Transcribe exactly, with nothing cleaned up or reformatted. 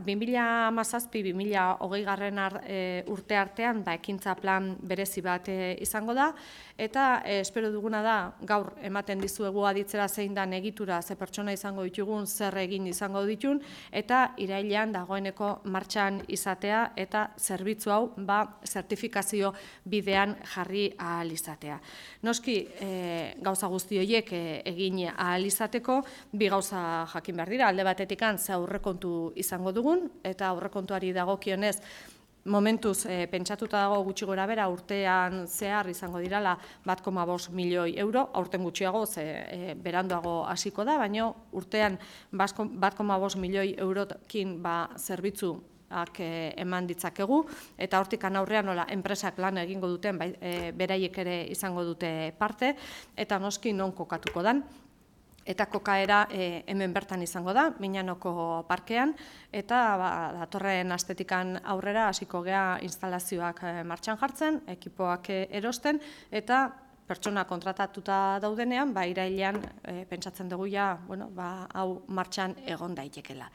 bi mila hamazazpi bi mila hogei garren urte artean ba, ekintza plan berezi bat e, izango da, eta e, espero duguna da gaur ematen dizuegu aditzera zein dan egitura, ze pertsona izango ditugun, zer egin izango ditun, eta irailean dagoeneko martxan izatea eta zerbitzu hau ba, zertifikazio bidean jarri ahal izatea. Noski, e, gauza guzti horiek e, egin ahal izateko, bi gauza jakin behar dira, alde batetikan ze aurrekontu izango dugun, eta aurrekontuari dagokionez, momentuz e, pentsatuta dago gutxi gora bera urtean zehar izango dirala bat koma bost milioi euro, aurten gutxiago ze e, beranduago hasiko da, baina urtean bat koma bost milioi eurokin ba, zerbitzu eman ditzakegu, eta hortik aurrean nola enpresak lan egingo duten, bai, e, beraiek ere izango dute parte, eta noski non kokatuko dan. Eta kokaera e, hemen bertan izango da, Miñanoko parkean, eta ba, datorren astetikan aurrera hasiko gea instalazioak e, martxan jartzen, ekipoak e, erosten, eta pertsona kontratatuta daudenean, ba, irailean e, pentsatzen dugu ja, bueno, ba, hau martxan egon daitekela.